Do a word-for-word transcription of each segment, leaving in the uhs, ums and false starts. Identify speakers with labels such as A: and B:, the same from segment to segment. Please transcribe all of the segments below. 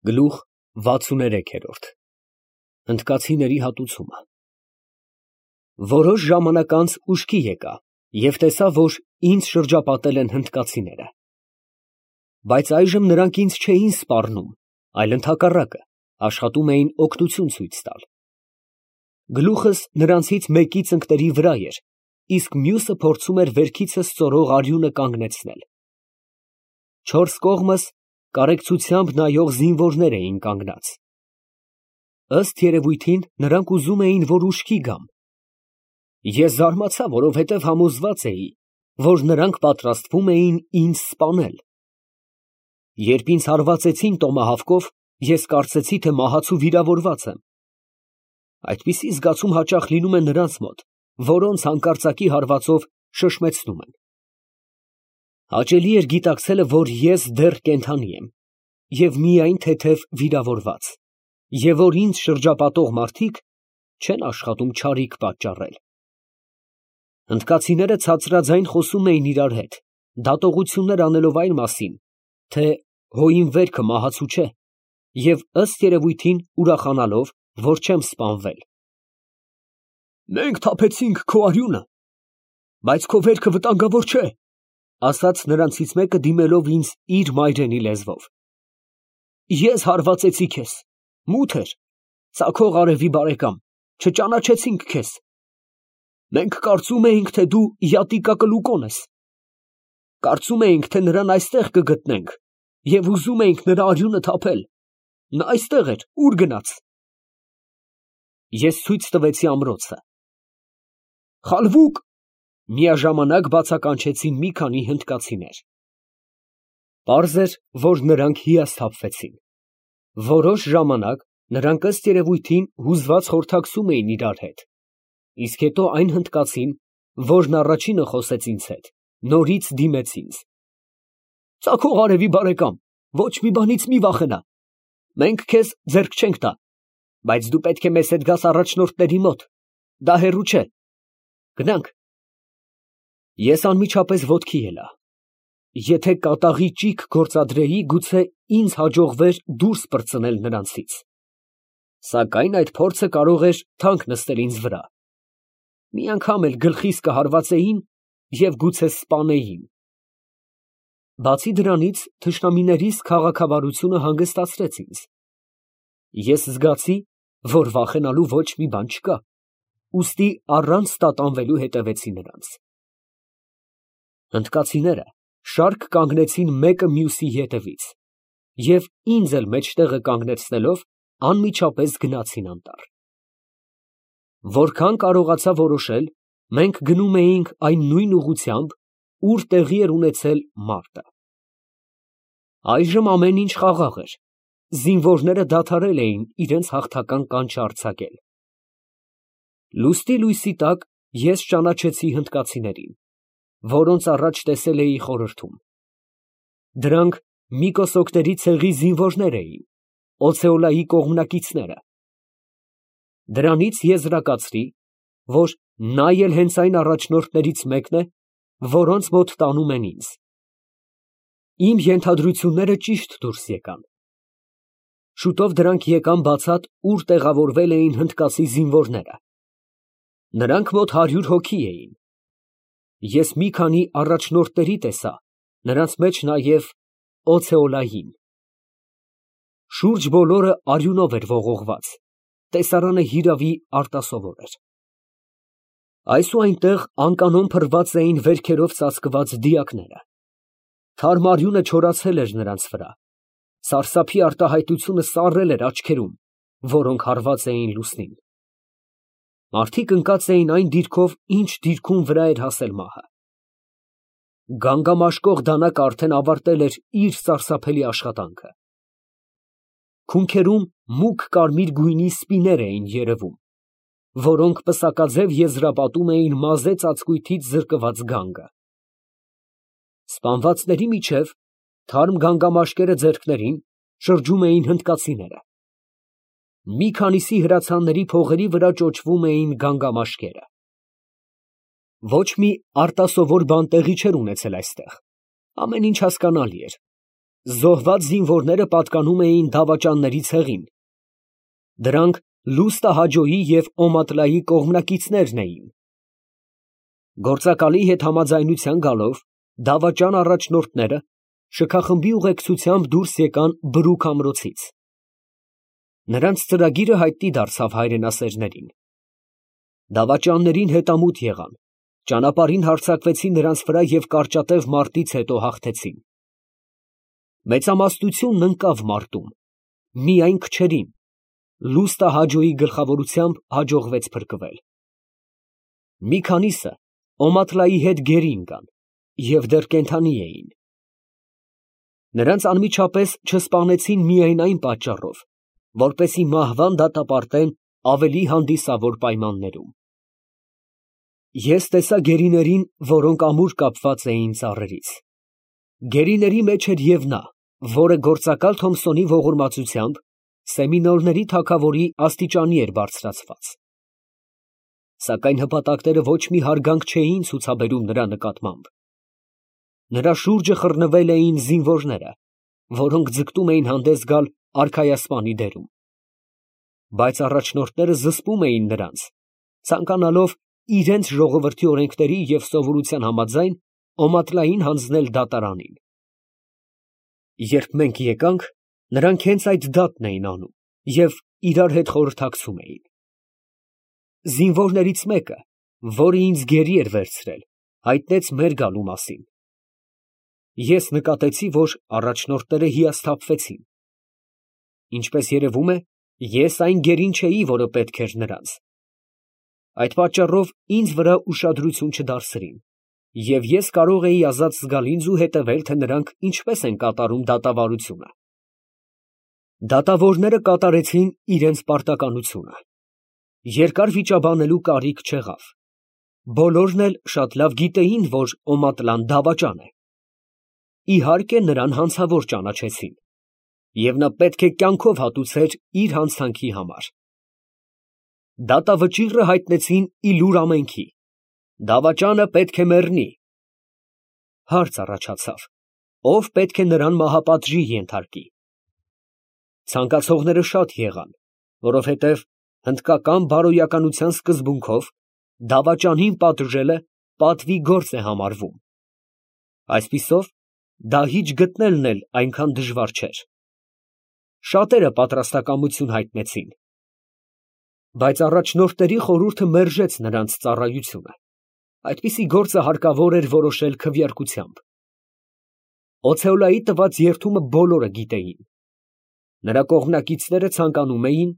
A: Գլուխ վաթսուներեքերորդ Հնդկացիների հատուցումը Որոշ ժամանակ անց ուշքի եկա և տեսա, որ ինձ շրջապատել են հնդկացիները, բայց այժմ նրանք ինձ չէին սպառնում, այլ ընդհակառակը, աշխատում էին օգնություն ցույց տալ։ Գլուխս նրանցից մեկի ծնկների վրա էր, իսկ մյուսը փորձում էր վերքիցս ծորող արյունը կանգնեցնել։ Չորս կողմս կարեկցությամբ նայող զինվորներ էին կանգնած։ Ըստ երևույթին, նրանք ուզում էին, որ ուշքի գամ։ Ես զարմացա, որովհետև համոզված էի, որ նրանք պատրաստվում էին ինձ սպանել։ Երբ ինձ հարվածեցին տոմահավկով, ես կարծեցի, թե մահացու վիրավորված եմ։ Այդպիսի զգացում հաճախ լինում է նրանց մոտ, որոնց հանկարծակի հարվածով շշմեցնում են։ Հաճելի էր գիտակցելը, որ ես դեռ կենդանի եմ և միայն թեթև վիրավորված, և որ ինձ շրջապատող մարդիկ չեն աշխատում չարիք պատճառել։ Հնդկացիները ցածրաձայն խոսում էին իրար հետ, դատողություններ անելով այն մասին, թե հոյին վերքը մահացու չէ, և ըստ երևույթին ուրախանալով, որ չեմ սպանվել։ «Մենք թափեցինք քո արյունը, բայց քո վերքը վտանգավոր չէ», ասաց նրանցից մեկը, դիմելով ինձ իր մայրենի լեզվով։ «Ես հարվածեցի քեզ, մութ էր, ծագող արևի բարեկամ, չճանաչեցինք քեզ։ Մենք կարծում էինք, թե դու յատիկակլուկոն ես։ Կարծում էինք, թե նրան այստեղ կգտնենք և ուզում էինք նրա արյունը թափել։ Նա այստեղ էր, ուր գնաց»։ Ես ցույց տվեցի ամրոցը։ «Խալվուկ», միաժամանակ բացականչեցին մի քանի հնդկացիներ։ Պարզ էր, որ նրանք հիասթափվեցին։ Որոշ ժամանակ նրանք ըստ երևույթին հուզված խորհրդակցում էին իրար հետ, իսկ հետո այն հնդկացին, որն առաջինը խոսեց ինձ հետ, նորից դիմեց ինձ։ «Ծագող արևի բարեկամ, ոչ մի բանից մի վախենա, մենք քեզ ձեռք չենք տա, բայց դու պետք է մեզ հետ գաս առաջնորդների մոտ, դա հեռու չէ, գնանք»։ Ես անմիջապես ոտքի ելա։ Եթե կատաղի ճիգ գործադրեի, գուցե ինձ հաջողվեր դուրս պրծնել նրանցից, սակայն այդ փորձը կարող էր թանկ նստել ինձ վրա։ Մի անգամ էլ գլխիս կհարվածեին և գուցե սպանեին։ Բացի դրանից, թշնամիներիս քաղաքավարությունը հանգստացրեց ինձ։ Ես զգացի, որ վախենալու ոչ մի բան չկա, ուստի առանց տատանվելու հետևեցի նրանց։ Հնդկացիները շարք կանգնեցին մեկը մյուսի ետևից և ինձ էլ մեջտեղը կանգնեցնելով, անմիջապես գնացին անտառ։ Որքան կարողացա որոշել, մենք գնում էինք այն նույն ուղղությամբ, ուր տեղի էր ունեցել մարտը։ Այժմ ամեն ինչ խաղաղ էր, զինվորները դադարել էին իրենց հաղթական կանչը արձակել։ Լուսնի լույսի տակ ես ճանաչեցի հնդկացիներին, որոնց առաջ տեսել էի խորհրդում։ Դրանք Միկոսոկների ցեղի զինվորներ էին, Օցեոլայի կողմնակիցները։ Դրանից եզրակացրի, որ նա էլ հենց այն առաջնորդներից մեկն է, որոնց մոտ տանում են ինձ։ Իմ ենթադրությունները ճիշտ դուրս եկան։ Շուտով դրանք եկան բացատ, ուր տեղավորվել էին հնդկացի զինվորները։ Նրանք մոտ հարյուր հոգի էին։ Ես մի քանի առաջնորդների տեսա, նրանց մեջ նաև Օցեոլային։ Շուրջ բոլորը արյունով էր ողողված, տեսարանը հիրավի արտասովոր էր։ Այս ու այնտեղ անկանոն փռված էին վերքերով ծածկված դիակները։ Թարմ արյունը չորացել էր նրանց վրա, սարսափի արտահայտությունը սառել էր աչքերում, որոնք հարված էին լուսնին։ Մարդիկ ընկած էին այն դիրքով, ինչ դիրքում վրա էր հասել մահը։ Գանգամաշկող դանակը արդեն ավարտել էր իր սարսափելի աշխատանքը։ Քունքերում մուգ կարմիր գույնի սպիներ էին երևում, որոնք պսակաձև եզրապատում էին մազե ծածկույթից զրկված գանգը։ Սպանվածների միջև, թարմ գանգամաշկերը ձեռքներին, շրջում էին հնդկացիները։ Մի քանիսի հրացանների փողերի վրա ճոճվում էին գանգամաշկերը։ Ոչ մի արտասովոր բան տեղի չէր ունեցել այստեղ, ամեն ինչ հասկանալի էր։ Զոհված զինվորները պատկանում էին դավաճանների ցեղին. դրանք Լուստահաջոյի և Օմատլայի կողմնակիցներն էին։ Գործակալի հետ համաձայնության գալով, դավաճան առաջնորդները շքախմբի ուղեկցությամբ դուրս եկան Բրուք ամրոցից։ Նրանց ծրագիրը հայտնի դարձավ հայրենասերներին։ Դավաճաններին հետամուտ եղան, ճանապարհին հարձակվեցին նրանց վրա և կարճատև մարտից հետո հաղթեցին։ Մեծամասնությունն ընկավ մարտում, միայն քչերին Լուստահաջոյի գլխավորությամբ հաջողվեց փրկվել։ Մի քանիսը Օմատլայի հետ գերի ընկան և դեռ կենդանի էին։ Նրանց անմիջապես չսպանեցին միայն այն պատճառով, որպեսզի մահվան դատապարտեն ավելի հանդիսավոր պայմաններում։ Ես տեսա գերիներին, որոնք ամուր կապված էին ծառերից։ Գերիների մեջ էր և նա, որը գործակալ Թոմսոնի ողորմածությամբ Սեմինոլների թագավորի աստիճանի էր բարձրացված։ Սակայն հպատակները ոչ մի հարգանք չէին ցուցաբերում նրա նկատմամբ։ Նրա շուրջը խռնվել էին զինվորները, որոնք ձգտում էին հանդես գալ արքայասպանի դերում։ Բայց առաջնորդները զսպում էին նրանց, ցանկանալով իրենց ժողովրդի օրենքների և սովորության համաձայն Օմատլային հանձնել դատարանին։ Երբ մենք եկանք, նրանք հենց այդ դատն էին անում և իրար հետ խորհրդակցում էին։ Զինվորներից մեկը, որը ինձ գերի էր վերցրել, հայտնեց մեր գալու մասին։ Ես նկատեցի, որ առաջնորդները հիասթափվեցին։ Ինչպես երևում է, ես այն գերին չէի, որը պետք էր նրանց։ Այդ պատճառով ինձ վրա ուշադրություն չդարձրին, և ես կարող էի ազատ զգալ ինձ ու հետևել, թե նրանք ինչպես են կատարում դատավարությունը։ Դատավորները կատարեցին իրենց պարտականությունը։ Երկար վիճաբանելու կարիք չեղավ։ Բոլորն էլ շատ լավ գիտեին, որ Օմատլան դավաճան է։ Իհարկե, նրան հանցավոր ճանաչեցին, և նա պետք է կյանքով հատուցեր իր հանցանքի համար։ Դատավճիռը հայտնեցին ի լուր ամենքի. դավաճանը պետք է մեռնի։ Հարց առաջացավ. ո՞վ պետք է նրան մահապատժի ենթարկի։ Ցանկացողները շատ եղան, որովհետև հնդկական բարոյականության սկզբունքով դավաճանին պատժելը պատվի գործ է համարվում։ Այսպիսով, դահիճ գտնելն էլ այնքան դժվար չէր։ Շատերը պատրաստակամություն հայտնեցին։ Բայց առաջնորդների խորհուրդը մերժեց նրանց ծառայությունը։ Այդպիսի գործը հարկավոր էր որոշել քվեարկությամբ։ Օցեոլայի տված երդումը բոլորը գիտեին։ Նրա կողմնակիցները ցանկանում էին,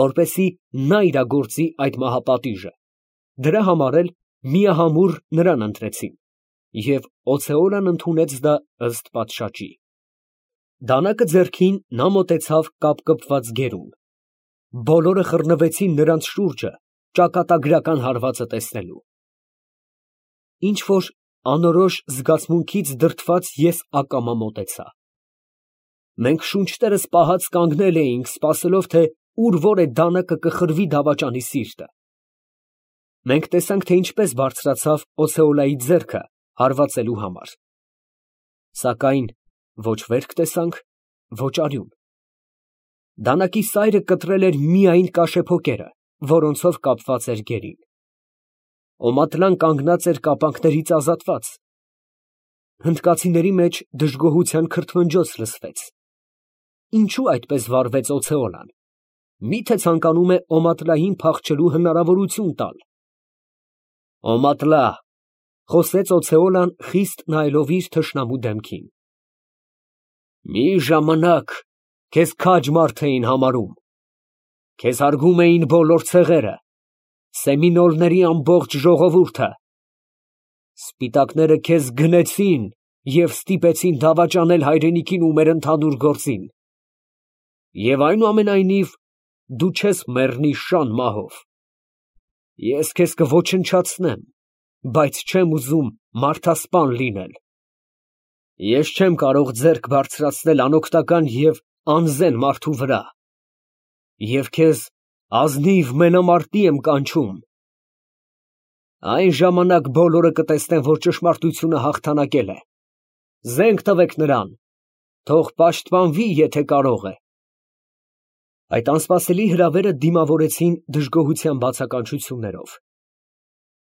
A: որպեսզի նա իրագործի այդ մահապատիժը, դրա համար էլ միահամուռ նրան ընտրեցին, և Օցեոլան ընդունեց դա ըստ պատշաճի։ Դանակը ձեռքին նա մոտեցավ կապկպված գերուն։ Բոլորը խռնվեցին նրանց շուրջը ճակատագրական հարվածը տեսնելու։ Ինչ֊որ անորոշ զգացմունքից դրդված ես ակամա մոտեցա։ Մենք շունչներս պահած կանգնել էինք, սպասելով, թե ուր որ է դանակը կխրվի դավաճանի սիրտը։ Մենք տեսանք, թե ինչպես բարձրացավ Օցեոլայի ձեռքը հարվածելու համար։ Սակայն ոչ վերք տեսանք, ոչ արյուն։ Դանակի սայրը կտրել էր միայն կաշեփոկերը, որոնցով կապված էր գերին։ Օմատլան կանգնած էր կապանքներից ազատված։ Հնդկացիների մեջ դժգոհության քրթմնջոց լսվեց։ Ինչո՞ւ այդպես վարվեց Օցեոլան։ Մի՞թե ցանկանում է Օմատլային փախչելու հնարավորություն տալ։ Օմատլա, խոսեց Օցեոլան, խիստ նայելով իր թշնամու դեմքին, մի ժամանակ քեզ քաջ մարդ էին համարում, քեզ հարգում էին բոլոր ցեղերը, Սեմինոլների ամբողջ ժողովուրդը։ Սպիտակները քեզ գնեցին և ստիպեցին դավաճանել հայրենիքին ու մեր ընդհանուր գործին։ Եվ այնուամենայնիվ, դու չես մեռնի շան մահով։ Ես քեզ կոչնչացնեմ, բայց չեմ ուզում մարդասպան լինել։ Ես չեմ կարող ձեռք բարձրացնել անօգնական և անզեն մարդու վրա, և քեզ ազնիվ մենամարտի եմ կանչում։ Այն ժամանակ բոլորը կտեսնեն, որ ճշմարտությունը հաղթանակել է։ Զենք տվեք նրան։ Թող պաշտպանվի, եթե կարող է։ Այդ անսպասելի հրավերը դիմավորեցին դժգոհության բացականչություններով։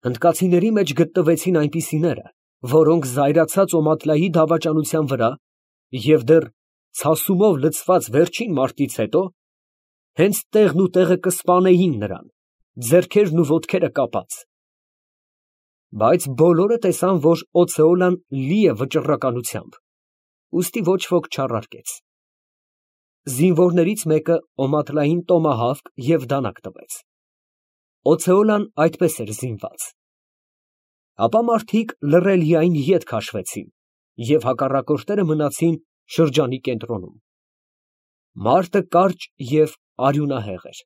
A: Հնդկացիների մեջ գտնվեցին այնպիսիները, որոնք զայրացած Օմատլայի դավաճանության վրա և դեռ ցասումով լցված վերջին մարտից հետո, հենց տեղն ու տեղը կսպանեին նրան, ձեռքերն ու ոտքերը կապած։ Բայց բոլորը տեսան, որ Օցեոլան լի է վճռականությամբ, ուստի ոչ ոք չառարկեց։ Զինվորներից մեկը Օմատլային տոմահավկ և դանակ տվեց։ Օցեոլան այդպես էր զինված։ Ապա մարդիկ լռելիայն ետ քաշվեցին, և հակառակորդները մնացին շրջանի կենտրոնում։ Մարտը կարճ և արյունահեղ էր։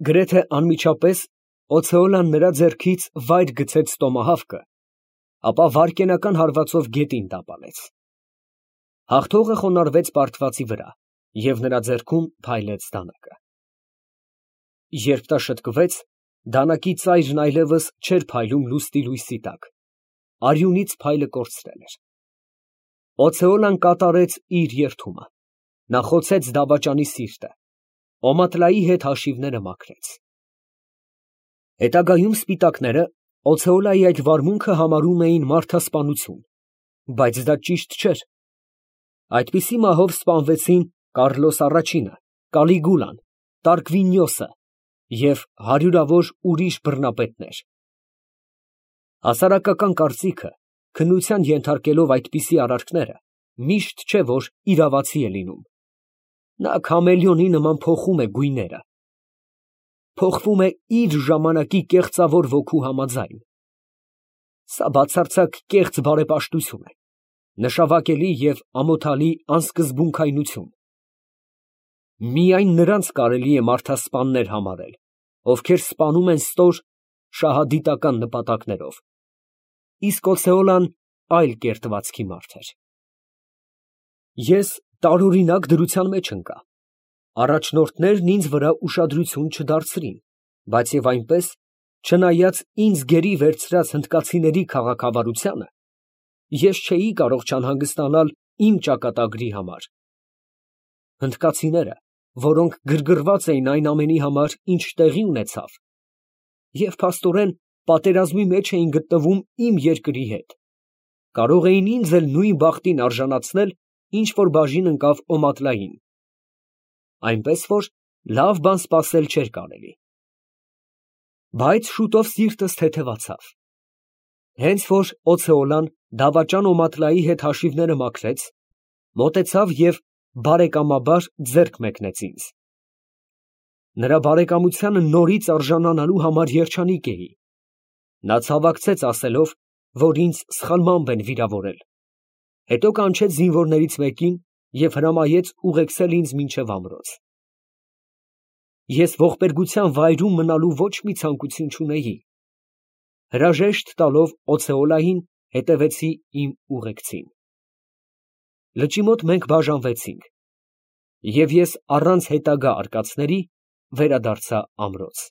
A: Գրեթե անմիջապես Օցեոլան նրա ձեռքից վայր գցեց տոմահավկը, ապա վայրկենական հարվածով գետին տապալեց։ Հաղթողը խոնարհվեց պարտվածի վրա և նրա ձեռքում փայլեց դանակը։ Երբ նա շտկվեց, դանակի ծայրն այլևս չէր փայլում լուսնի լույսի տակ, արյունից փայլը կորցրել էր։ Օցեոլան կատարեց իր երդումը, նա խոցեց դավաճանի սիրտը, Օմատլայի հետ հաշիվները մաքրեց։ Հետագայում սպիտակները Օցեոլայի այդ վարմունքը համարում էին մարդասպանություն, բայց դա ճիշտ չէր։ Այդպիսի մահով սպանվեցին Կառլոս առաջինը, Կալիգուլան, Տարկվինիոսը և հարյուրավոր ուրիշ բռնապետներ։ Հասարակական կարծիքը, քննության ենթարկելով այդպիսի արարքները, միշտ չէ, որ իրավացի է լինում։ Նա քամելիոնի նման փոխում է գույները, փոխվում է իր ժամանակի կեղծավոր ոգու համաձայն։ Սա բացարձակ կեղծ բարեպաշտություն է, նշավակելի և ամոթալի անսկզբունքայնություն։ Միայն նրանց կարելի է մարդասպաններ համարել, ովքեր սպանում են ստոր շահադիտական նպատակներով, իսկ Օցեոլան այլ կերտվածքի մարդ էր։ Ես տարօրինակ դրության մեջ ընկա։ Առաջնորդներն ինձ վրա ուշադրություն չդարձրին, բայց և այնպես, չնայած ինձ գերի վերցրած հնդկացիների քաղաքավարությանը, ես չէի կարող չանհանգստանալ իմ ճակատագրի համար։ Հնդկացիները, որոնք գրգռված էին այն ամենի համար, ինչ տեղի ունեցավ, և փաստորեն պատերազմի մեջ էին գտնվում իմ երկրի հետ, կարող էին ինձ էլ նույն բախտին արժանացնել, ինչ որ բաժին ընկավ Օմատլային, այնպես որ լավ բան սպասել չէր կարելի։ Բայց շուտով սիրտս թեթևացավ։ Հենց որ Օցեոլան դավաճան Օմատլայի հետ հաշիվները մաքրեց, մոտեցավ և բարեկամաբար ձեռք մեկնեց ինձ։ Նրա բարեկամությանը նորից արժանանալու համար երջանիկ էի։ Նա ցավակցեց, ասելով, որ ինձ սխալմամբ են վիրավորել, հետո կանչեց զինվորներից մեկին և հրամայեց ուղեկցել ինձ մինչև ամրոց։ Ես ողբերգության վայրում մնալու ոչ մի ցանկություն չունեի։ Հրաժեշտ տալով Օցեոլային, հետևեցի իմ ուղեկցին։ Լճի մոտ մենք բաժանվեցինք, և ես առանց հետագա արկածների վերադարձա ամրոց։